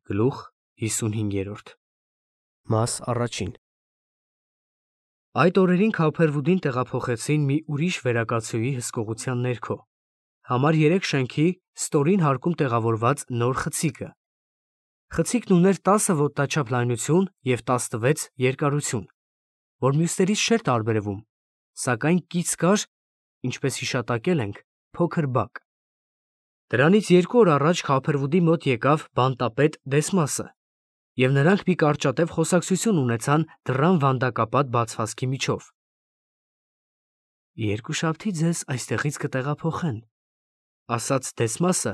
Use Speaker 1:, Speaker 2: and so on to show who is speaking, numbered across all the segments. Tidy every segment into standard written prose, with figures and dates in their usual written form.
Speaker 1: Գլուխ 55 Մաս առաջին Այդ օրերին Քափերվուդին տեղափոխեցին մի ուրիշ վերակացուի հսկողության ներքո, համար 3 շենքի ստորին հարկում տեղավորված նոր խցիկը։ Խցիկն ուներ 10 ոտնաչափ լայնություն և 16 երկարություն, որ մյուսներից չէր տարբերվում, սակայն կից կար, ինչպես հիշատակել ենք, փոքր բակ։ Դրանից 2 օր առաջ Քափերվուդի մոտ եկավ բանտապետ Դեսմասը, և նրանք մի կարճատև խոսակցություն ունեցան դռան վանդակապատ բացվածքի միջով։ «Երկուշաբթի ձեզ այստեղից կտեղափոխեն», ֊ ասաց Դեսմասը,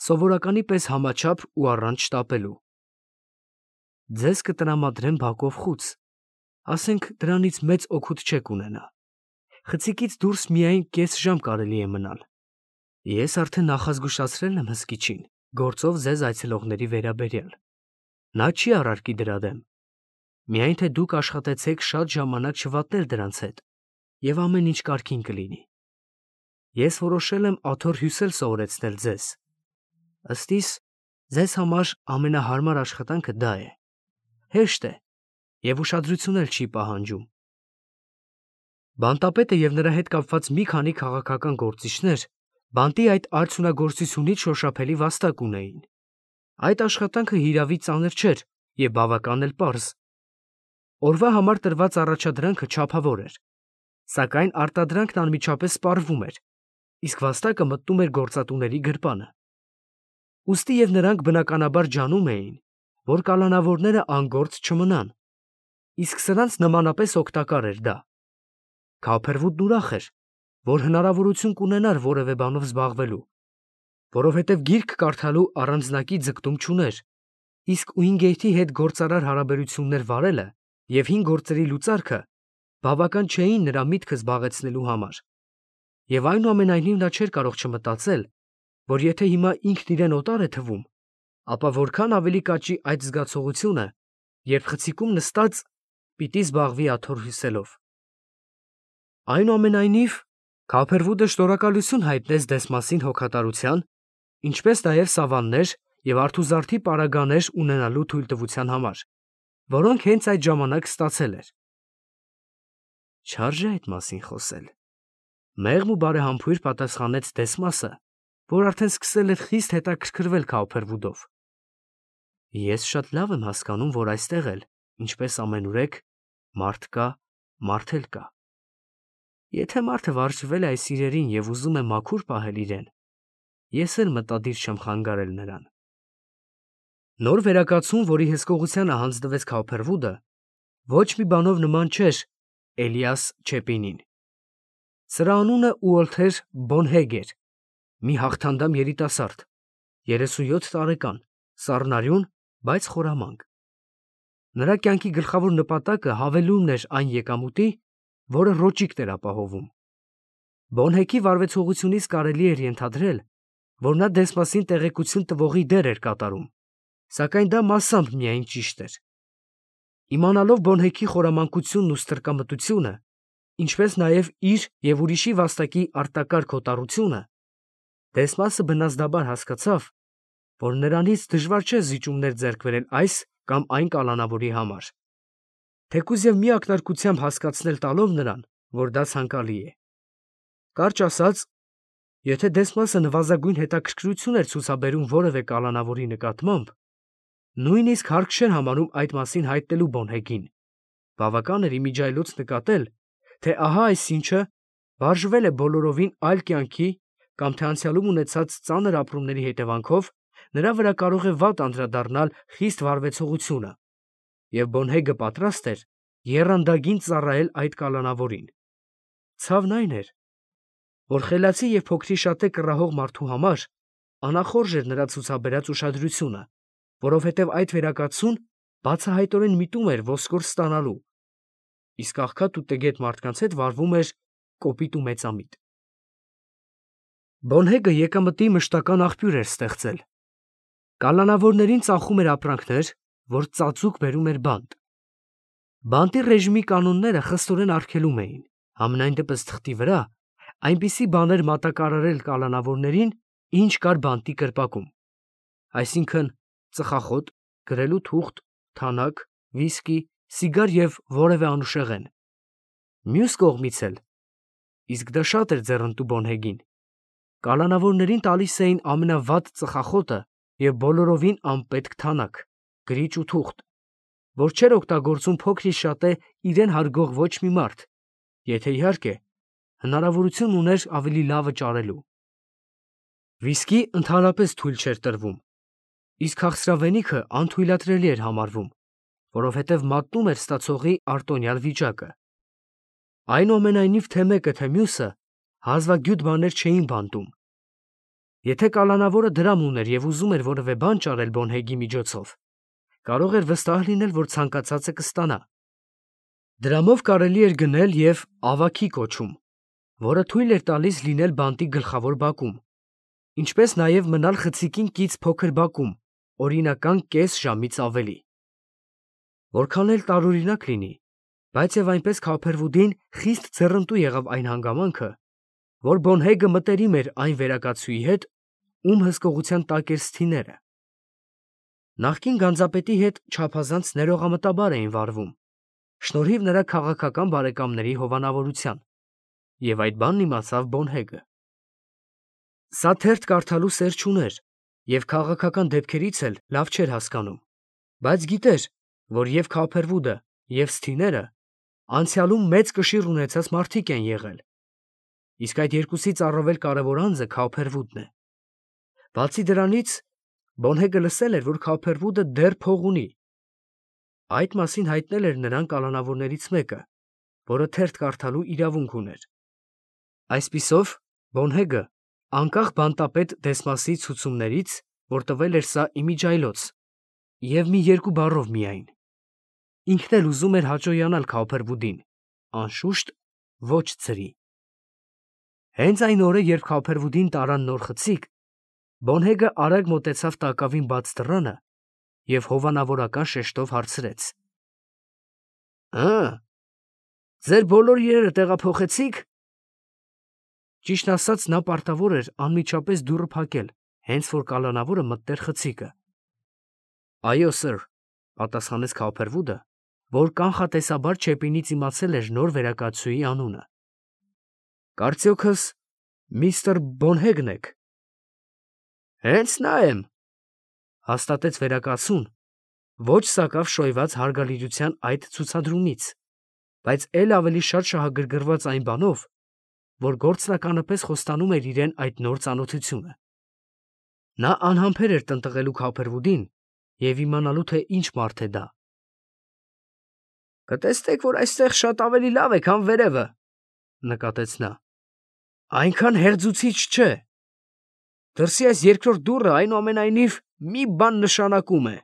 Speaker 1: սովորականի պես համաչափ ու առանց շտապելու։ «Ձեզ կտրամադրեն բակով խուց, ասենք դրանից մեծ օգուտ չեք ունենա։ Խցիկից դուրս միայն կես ժամ կարելի է մնալ։ Ես արդեն նախազգուշացրել եմ հսկիչին գործով ձեզ այցելողների վերաբերյալ. նա չի առարկի դրա դեմ, միայն թե դուք աշխատեցեք շատ ժամանակ չվատնել դրանց հետ, և ամեն ինչ կարգին կլինի։ Ես որոշել եմ աթոռ հյուսել սովորեցնել ձեզ, ըստ իս, ձեզ համար ամենահարմար աշխատանքը դա է, հեշտ է և ուշադրություն էլ չի պահանջում»։ Բանտապետը և նրա հետ կապված մի քանի քաղաքական գործիչներ բանտի այդ արդյունագործությունից շոշափելի վաստակ ունեին։ Այդ աշխատանքը հիրավի ծանր չէր և բավական էլ պարզ։ Օրվա համար տրված առաջադրանքը չափավոր էր, սակայն արտադրանքն անմիջապես սպառվում էր, իսկ վաստակը մտնում էր գործատուների գրպանը։ Ուստի և նրանք բնականաբար ջանում էին, որ կալանավորները անգործ չմնան, իսկ սրանց նմանապես օգտակար էր դա։ Քափերվուդն ուրախ էր, որ հնարավորություն կունենար որևէ բանով զբաղվելու, որովհետև գիրք կարդալու առանձնակի ձգտում չուներ, իսկ Ուինգեյթի հետ գործարար հարաբերություններ վարելը և հին գործերի լուծարքը բավական չէին նրա միտքը զբաղեցնելու համար, և այնուամենայնիվ նա չէր կարող չմտածել, որ եթե հիմա ինքն իրեն օտար է թվում, ապա որքան ավելի կաճի այդ զգացողությունը, երբ խցիկում նստած պիտի զբաղվի աթոռ հյուսելով։ Այնուամենայնիվ, Քափերվուդը շնորհակալություն հայտնեց Դեսմասին հոգատարության, ինչպես նաև սավաններ և արթուզարդի պարագաներ ունենալու թույլտվության համար, որոնք հենց այդ ժամանակ ստացել էր։ Չարժե այդ մասին խոսել, ֊ մեղմ ու բարեհամբույր պատասխանեց Դեսմասը, որ արդեն սկսել էր խիստ հետաքրքրվել Քափերվուդով։ Ես շատ լավ եմ հասկանում, որ այստեղ էլ, ինչպես ամենուրեք, մարդ կա, մարդ էլ կա։ Եթե մարդը վարժվել է այս իրերին և ուզում է մաքուր պահել իրեն, ես էլ մտադիր չեմ խանգարել նրան։ Նոր վերակացուն, որի հսկողությանը հանձնվեց Քափերվուդը, ոչ մի բանով նման չէր Էլիաս Չեպինին։ Սրա անունը Ուոլթեր Բոնհեգ էր, մի հաղթանդամ երիտասարդ, 37 տարեկան, սառնարյուն, բայց խորամանկ։ Նրա կյանքի գլխավոր նպատակը հավելումն էր այն եկամուտի, որը ռոճիկն էր ապահովում։ Բոնհեգի վարվեցողությունից կարելի էր ենթադրել, որ նա Դեսմասին տեղեկություն տվողի դեր էր կատարում, սակայն դա մասամբ միայն ճիշտ էր։ Իմանալով Բոնհեգի խորամանկությունն ու ստրկամտությունը, ինչպես նաև իր և ուրիշի վաստակի արտակարգ հոտառությունը, Դեսմասը բնազդաբար հասկացավ, որ նրանից դժվար չէ զիջումներ ձեռք բերել այս կամ այն կալանավորի համար, թեկուզ և մի ակնարկությամբ հասկացնել տալով նրան, որ դա ցանկալի է։ Կարճ ասած, եթե Դեսմասը նվազագույն հետաքրքրություն էր ցուցաբերում որևէ կալանավորի նկատմամբ, նույնիսկ հարկ չէր համարում այդ մասին հայտնելու Բոնհեգին, բավական էր իմիջիայլոց նկատել, թե ահա այս ինչը վարժվել է բոլորովին այլ կյանքի կամ թե անցյալում ունեցած ծանր ապրումների հետևանքով նրա վրա կարող է վատ անդրադառնալ խիստ վարվեցողությունը, և Բոնհեգը պատրաստ էր եռանդագին ծառայել այդ կալանավորին։ Ցավն այն էր, որ խելացի և փոքրիշատե կռահող մարդու համար անախորժ էր նրա ցուցաբերած ուշադրությունը, որովհետև այդ վերակացուն բացահայտորեն միտում էր ոսկոր ստանալու, իսկ աղքատ ու տգետ մարդկանց հետ վարվում էր կոպիտ ու մեծամիտ։ Բոնհեգը եկամտի մշտական աղբյուր էր ստեղծել։ Կալանավորներին ծախում էր ապրանքներ, որ ծածուկ բերում էր բանտ։ Բանտի ռեժիմի կանոնները խստորեն արգելում էին, համենայն դեպս թղթի վրա, այնպիսի բաներ մատակարարել կալանավորներին, ինչ կար բանտի կրպակում, այսինքն ծխախոտ, գրելու թուղթ, թանակ, վիսկի, սիգար եւ որևէ անուշեղեն։ Մյուս կողմից էլ, իսկ դա շատ էր ձեռնտու Բոնհեգին, կալանավորներին տալիս էին ամենավատ ծխախոտը եւ բոլորովին անպետք թանակ, գրիչ ու թուղթ, որ չէր օգտագործում փոքրի շատե իրեն հարգող ոչ մի մարդ, եթե իհարկե հնարավորություն ուներ ավելի լավը ճարելու։ Վիսկի ընդհանրապես թույլ չէր տրվում, իսկ քաղցրավենիքը անթույլատրելի էր համարվում, որովհետև մատնում էր ստացողի արտոնյալ վիճակը։ Այնուամենայնիվ թե մեկը, թե մյուսը հազվագյուտ բաներ չէին բանտում։ Եթե կալանավորը դրամ ուներ եւ ուզում էր որևէ բան ճարել Բոնհեգի միջոցով, կարող էր վստահ լինել, որ ցանկացածը կստանա։ Դրամով կարելի էր գնել եւ ավաքի կոչում, որը թույլ էր տալիս լինել բանտի գլխավոր բակում, ինչպես նաեւ մնալ խցիկին կից փոքր բակում, օրինական կես ժամից ավելի։ Որքան էլ տարօրինակ լինի, բայց եւ այնպես Քոփերվուդին խիստ ձեռնտու եղավ այն հանգամանքը, որ Բոնհեգը մտերիմ էր այն վերակացուի հետ, ում հսկողության տակ էր սթիները։ Նախկին գանձապետի հետ չափազանց ներողամտաբար էին վարվում, շնորհիվ նրա քաղաքական բարեկամների հովանավորության, եւ այդ բանն իմացավ Բոնհեգը։ Սա թերթ կարդալու սեր չուներ եւ քաղաքական դեպքերից էլ լավ չէր հասկանում, բայց գիտեր, որ եւ Քոփերվուդը եւ սթիները անցյալում մեծ կշիռ ունեցած մարդիկ են եղել, իսկ այդ երկուսից առավել կարևոր անձը Քոփերվուդն է։ Բացի դրանից, Բոնհեգը լսել էր, որ Քոփերվուդը դեռ փող ունի։ Այդ մասին հայտնել էր նրան կալանավորներից մեկը, որը թերթ կարդալու իրավունք ուներ։ Այսպիսով, Բոնհեգը, անկախ բանտապետ Դեսմասի ցուցումներից, որ տվել էր սա իմիջայլոց, եւ մի երկու բառով միայն, ինքն էլ ուզում էր հաճոյանալ Քոփերվուդին, անշուշտ ոչ ծրի։ Հենց այն օրը, երբ Քոփերվուդին տարան նոր խցիկ, Բոնհեգը արագ մոտեցավ տակավին բաց դռանը եւ հովանավորական շեշտով հարցրեց. Ձեր բոլոր իրերը տեղափոխեցի՞ք։ Ճիշտ ասած, նա պարտավոր էր անմիջապես դուռը փակել, հենց որ կալանավորը մտներ խցիկը։ Այո, սըր, պատասխանեց Քոփերվուդը, որ կանխատեսաբար չեպինից իմացել էր նոր վերակացուի անունը։ Կարծիքս միստր Բոնհեգն եք։ Հենց նա եմ, հաստատեց վերակացուն, ոչ սակավ շոյված հարգալիրության այդ ցուցադրումից, բայց էլ ավելի շատ շահագրգռված այն բանով, որ գործնականապես խոստանում էր իրեն այդ նոր ծանոթությունը։ Նա անհամբեր էր տնտղելու Քոփերվուդին եւ իմանալու, թե ինչ մարդ է դա։ Կտեսնեք, որ այստեղ շատ ավելի լավ է, քան վերևը, նկատեց նա։ Այնքան հերձուցիչ չէ։ Դրսի այս երկրորդ դուռը այնուամենայնիվ մի բան նշանակում է։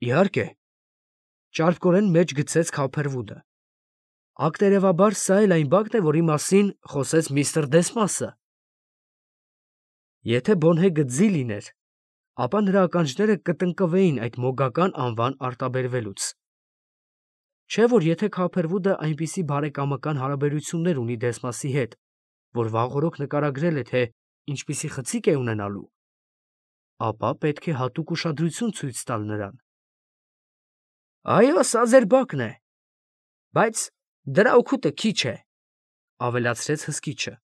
Speaker 1: Իհարկե, ճարպկորեն մեջ գցեց Քոփերվուդը։ Ակտերևաբար սա էլ այն բակն է, որի մասին խոսեց միստր Դեսմասը։ Եթե Բոնհեգը ձի լիներ, ապա նրա ականջները կտնկվեին այդ մոգական անվան արտաբերվելուց։ Չէ՞ որ եթե Քոփերվուդը այնպիսի բարեկամական հարաբերություններ ունի Դեսմասի հետ, որ վաղօրոք նկարագրել է, թե ինչպիսի խցիկ է ունենալու, ապա պետք է հատուկ ուշադրություն ցույց տալ նրան։ Այո, սա ձեր բակն է, բայց դրա օգուտը քիչ է, ավելացրեց հսկիչը։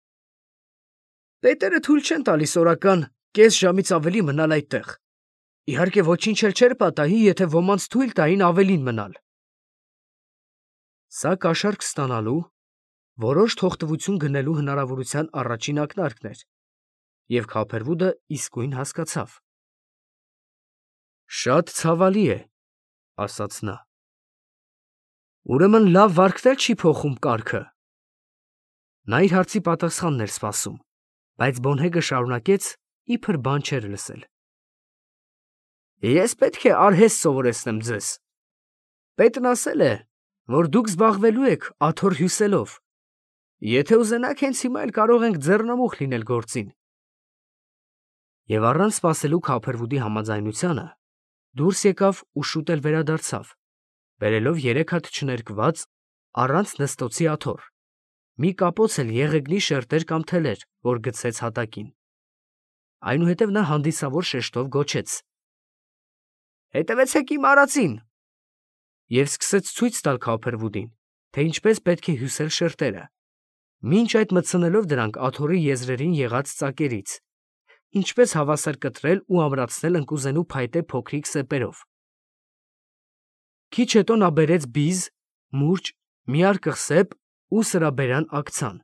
Speaker 1: Պետերը թույլ չեն տալիս օրական կես ժամից ավելի մնալ այդտեղ։ Իհարկե ոչինչ էլ չէր պատահի, եթե ոմանց թույլ տային ավելին մնալ։ Սա կաշառք ստանալու, որոշ թողտվություն գնելու հնարավորության առաջին ակնարկն էր, եւ Քոփերվուդը իսկույն հասկացավ։ Շատ ցավալի է, ասաց նա։ Ուրեմն լավ վարքն էլ չի փոխում կարգը։ Նա իր հարցի պատասխանն էր սպասում, բայց Բոնհեգը շարունակեց, իբր բան չէր լսել։ Ես պետք է արհեստ սովորեցնեմ ձեզ։ Պետն ասել է, որ դուք զբաղվելու եք աթոռ հյուսելով։ Եթե ուզենաք, հենց հիմա էլ կարող ենք ձեռնամուխ լինել գործին։ Եվ առանց սպասելու Քոփերվուդի համաձայնությանը, դուրս եկավ ու շուտ էլ վերադարձավ, բերելով 3 հատ չներկված, առանց նստոցի աթոռ, մի կապոց էլ եղեգնի շերտեր կամ թելեր, որ գցեց հատակին։ Այնուհետև նա հանդիսավոր շեշտով գոչեց. Հետևեցեք իմ արածին։ Եվ սկսեց ցույց տալ Քոփերվուդին, թե ինչպես պետք է հյուսել շերտերը, մինչ այդ մտցնելով դրանք աթոռի եզրերին եղած ծակերից, ինչպես հավասար կտրել ու ամրացնել ընկուզենու փայտե փոքրիկ սեպերով։ Քիչ հետո նա բերեց բիզ, մուրճ, մի արկղ սեպ ու սրաբերան ակցան։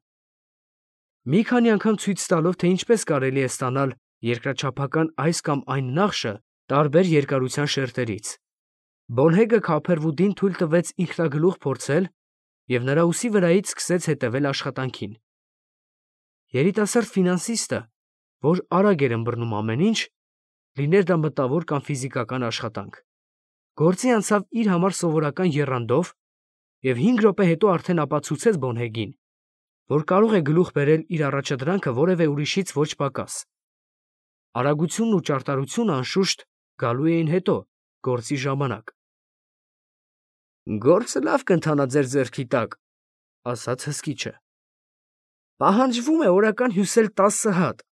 Speaker 1: Մի քանի անգամ ցույց տալով, թե ինչպես կարելի է ստանալ երկրաչափական այս կամ այն նախշը տարբեր երկարության շերտերից, Բոնհեգը Քոփերվուդին թույլ տվեց ինքնագլուխ փորձել և նրա ուսի վրայից սկսեց հետևել աշխատանքին։ Երիտասարդ ֆինանսիստը, որ արագ էր ըմբռնում ամեն ինչ, լիներ դա մտավոր կամ ֆիզիկական աշխատանք, գործի անցավ իր համար սովորական եռանդով և 5 րոպե հետո արդեն ապացուցեց Բոնհեգին, որ կարող է գլուխ բերել իր առաջադրանքը որևէ ուրիշից ոչ պակաս։ Արագությունն ու ճարտարությունը անշուշտ գալու էին հետո, գործի ժամանակ։ «Գործը լավ կընթանա ձեր ձեռքի տակ», ասաց հսկիչը։ «Պահանջվում է օրական հյուսել 10 հատ։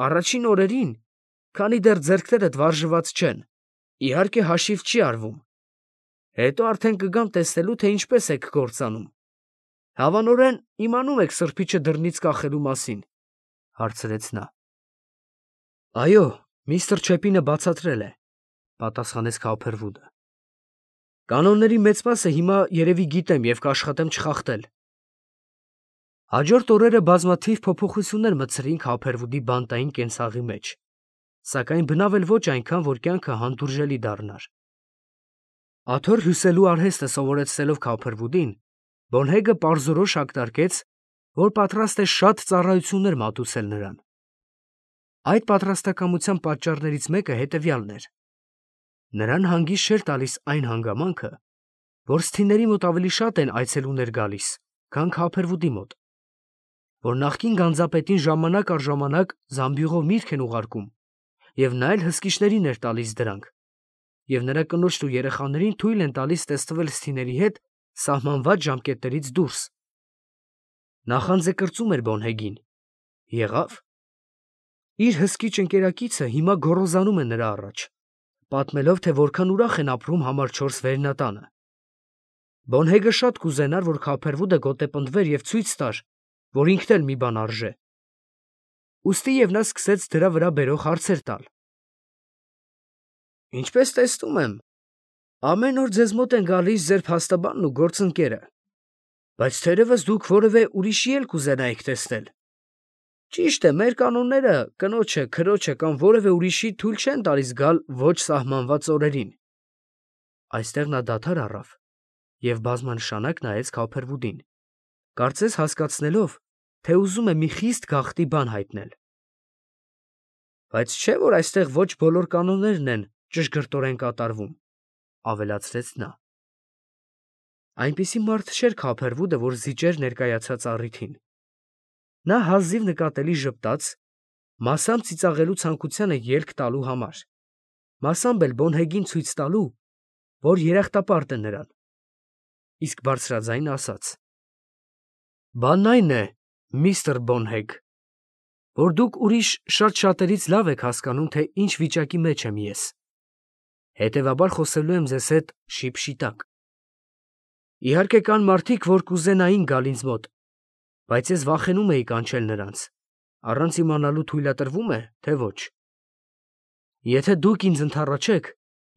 Speaker 1: Առաջին օրերին, քանի դեռ ձեռքներդ վարժված չեն, իհարկե հաշիվ չի արվում։ Հետո արդեն կգամ տեսնելու, թե ինչպես եք գործանում։ Հավանորեն իմանում եք սրբիչը դռնից կախելու մասին», հարցրեց նա։ «Այո, միստր Չեպինը բացատրել է», պատասխանեց Քոփերվուդը։ «Կանոնների մեծ մասը հիմա երևի գիտեմ և կաշխատեմ չխախտել»։ Հաջորդ օրերը բազմաթիվ փոփոխություններ մտցրին Քոփերվուդի բանտային կենցաղի մեջ, սակայն բնավ էլ ոչ այնքան, որ կյանքը հանդուրժելի դառնար։ Աթոռ հյուսելու արհեստը սովորեցնելով Քոփերվուդին, Բոնհեգը պարզորոշ ակնարկեց, որ պատրաստ է շատ ծառայություններ մատուցել նրան։ Այդ պատրաստակամության պատճառներից մեկը հետևյալն էր. նրան հանգիստ չէր տալիս այն հանգամանքը, որ սթիների մոտ ավելի շատ են այցելուներ գալիս, քան Քոփերվուդի մոտ, որ նախկին գանձապետին ժամանակ առ ժամանակ զամբյուղով միրգ են ուղարկում, և նա էլ հսկիչներին էր տալիս դրանք, և նրա կնոջն ու երեխաներին թույլ են տալիս տեստվել սթիների հետ սահմանված ժամկետներից դուրս։ Նախանձեկրծում էր Բոնհեգին։ Եղավ։ Իր հսկիչ ընկերակիցը հիմա գոռոզանում է նրա առաջ, պատմելով, թե որքան ուրախ են ապրում համար 4 վերնատանը։ Բոնհեգը շատ կուզենար, որ Քոփերվուդը գոտեպնդվեր և ցույց տար, որ ինքն էլ մի բան արժե։ Ուստի և նա սկսեց դրա վրա բերող հարցեր տալ։ «Ինչպես տեսնում եմ, ամեն օր ձեզ մոտ են գալիս ձեր փաստաբանն ու գործընկերը, բայց թերևս դուք որևէ ուրիշի էլ կուզենայիք տեսնել։ Ճիշտ է, մեր կանոնները կնոջը, քրոջը կամ որևէ ուրիշի թույլ չեն տալիս գալ ոչ սահմանված օրերին»։ Այստեղ նա դադար առավ և բազմանշանակ նայեց Քոփերվուդին, կարծես հասկացնելով, թե ուզում է մի խիստ գաղտնի բան հայտնել։ «Բայց չէ՞ որ այստեղ ոչ բոլոր կանոններն են ճշգրտորեն կատարվում», ավելացրեց նա։ Այնպիսի մարդ չէր Քոփերվուդը, որ զիջեր ներկայացած առիթին։ Նա հազիվ նկատելի ժպտաց, մասամբ ծիծաղելու ցանկությանը ելք տալու համար, մասամբ էլ Բոնհեգին ցույց տալու, որ երախտապարտ է նրան, իսկ բարձրաձայն ասաց. «Բանն այն է, միստր Բոնհեգ, որ դուք ուրիշ շատերից լավ եք հասկանում, թե ինչ վիճակի մեջ եմ ես, հետևաբար խոսելու եմ ձեզ հետ շիպշիտակ։ Իհարկե կան մարդիկ, որ կուզենային գալ ինձ մոտ, բայց ես վախենում էի կանչել նրանց, առանց իմանալու թույլատրվում է, թե ոչ։ Եթե դուք ինձ ընդառաջեք,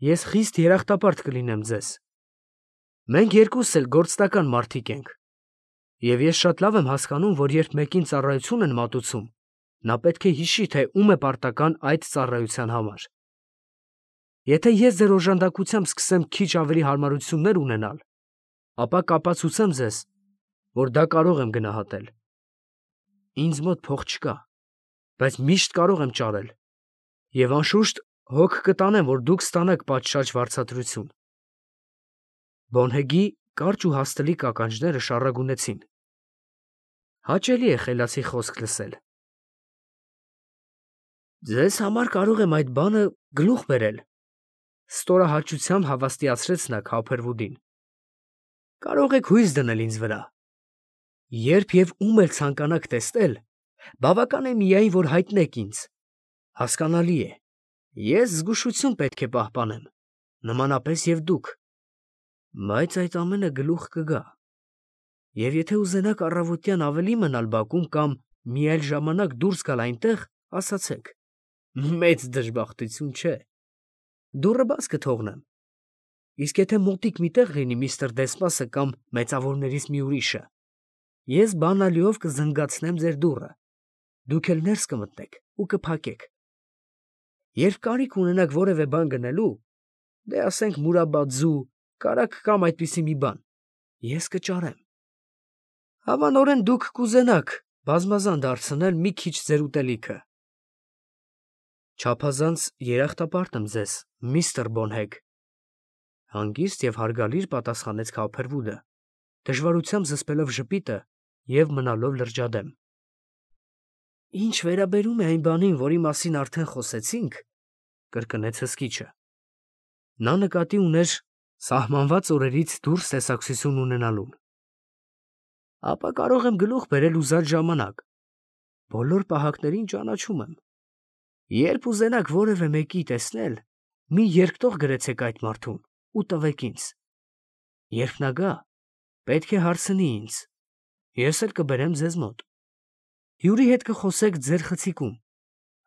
Speaker 1: ես խիստ երախտապարտ կլինեմ ձեզ։ Մենք երկուսս էլ գործնական մարդիկ ենք, և ես շատ լավ եմ հասկանում, որ երբ մեկին ծառայություն են մատուցում, նա պետք է հիշի, թե ում է պարտական այդ ծառայության համար։ Եթե ես ձեր օժանդակությամբ սկսեմ քիչ ավելի հարմարություններ ունենալ, ապա կապացուցեմ ձեզ, որ դա կարող եմ գնահատել։ Ինձ մոտ փող չկա, բայց միշտ կարող եմ ճարել, և անշուշտ հոգ կտանեմ, որ դուք ստանաք պատշաճ վարձատրություն»։ Բոնհեգի կարճ ու հաստլիկ ականջները շառագունեցին։ Հաճելի է խելացի խոսք լսել։ «Ձեզ համար կարող եմ այդ բանը գլուխ բերել», ստորահաճությամբ հավաստիացրեց նա Քոփերվուդին։ «Կարող եք հույս դնել ինձ վրա։ Երբ և ում էլ ցանկանաք տեսնել, բավական է միայն, որ հայտնեք ինձ։ Հասկանալի է, ես զգուշություն պետք է պահպանեմ, նմանապես և դուք, բայց այդ ամենը գլուխ կգա, և եթե ուզենաք առավոտյան ավելի մնալ բակում կամ մի այլ ժամանակ դուրս գալ այնտեղ, ասացեք, մեծ դժբախտություն չէ, դուռը բաց կթողնեմ, իսկ եթե մոտիկ մի տեղ լինի միստր Դեսմասը կամ մեծավորներից մի ուրիշը, ես բանալիով կզնգացնեմ ձեր դուռը, դուք էլ ներս կմտնեք ու կփակեք, երբ կարիք ունենաք որևէ բան գնելու, դե ասենք մուրաբաձու, կարագ կամ այդպիսի մի բան, ես կճարեմ, հավանորեն դուք կուզենաք բազմազան դարձնել մի քիչ ձեր ուտելիքը։ Չափազանց երախտապարտ եմ ձեզ, միստր Բոնհեգ, հանգիստ և հարգալից պատասխանեց Քոփերվուդը, դժվարությամբ զսպելով ժպիտը և մնալով լրջադեմ։ Ինչ վերաբերում է այն բանին, որի մասին արդեն խոսեցինք, կրկնեց հսկիչը։ Նա նկատի ուներ սահմանված օրերից դուրս տեսակցություն ունենալուն։ Ապա կարող եմ գլուխ բերել ուզած ժամանակ։ Բոլոր պահակներին ճանաչում եմ։ Երբ ուզենաք որևէ մեկի տեսնել, մի երկտող գրեցեք այդ մարդուն ու տվեք ինձ։ Երբ նա գա, պետք է հարցնի ինձ, ես էլ կբերեմ ձեզ մոտ։ Հյուրի հետ կխոսեք ձեր խցիկում,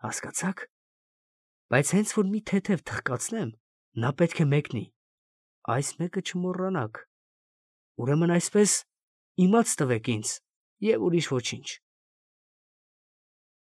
Speaker 1: հասկացա՞ք։ Բայց հենց որ մի թեթև թխկացնեմ, նա պետք է մեկնի, այս մեկը չմոռանաք։ Ուրեմն այսպես իմաց տվեք ինձ և ուրիշ ոչինչ։